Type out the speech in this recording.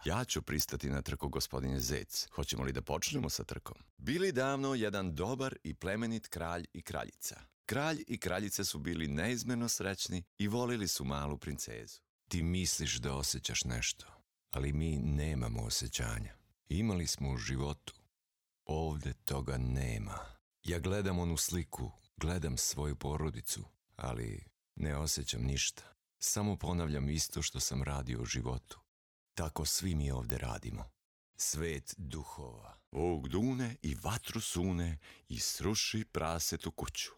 Ja ću pristati na trku, gospodine Zec. Hoćemo li da počnemo sa trkom? Bili davno jedan dobar i plemenit kralj i kraljica. Kralj i kraljica su bili neizmjerno srećni i volili su malu princezu. Ti misliš da osjećaš nešto, ali mi nemamo osjećanja. Imali smo u životu. Ovdje toga nema. Ja gledam onu sliku, gledam svoju porodicu, ali ne osjećam ništa. Samo ponavljam isto što sam radio u životu. Tako svi mi ovdje radimo. Svet duhova. Vuk dune i vatru sune i sruši prasetu kuću.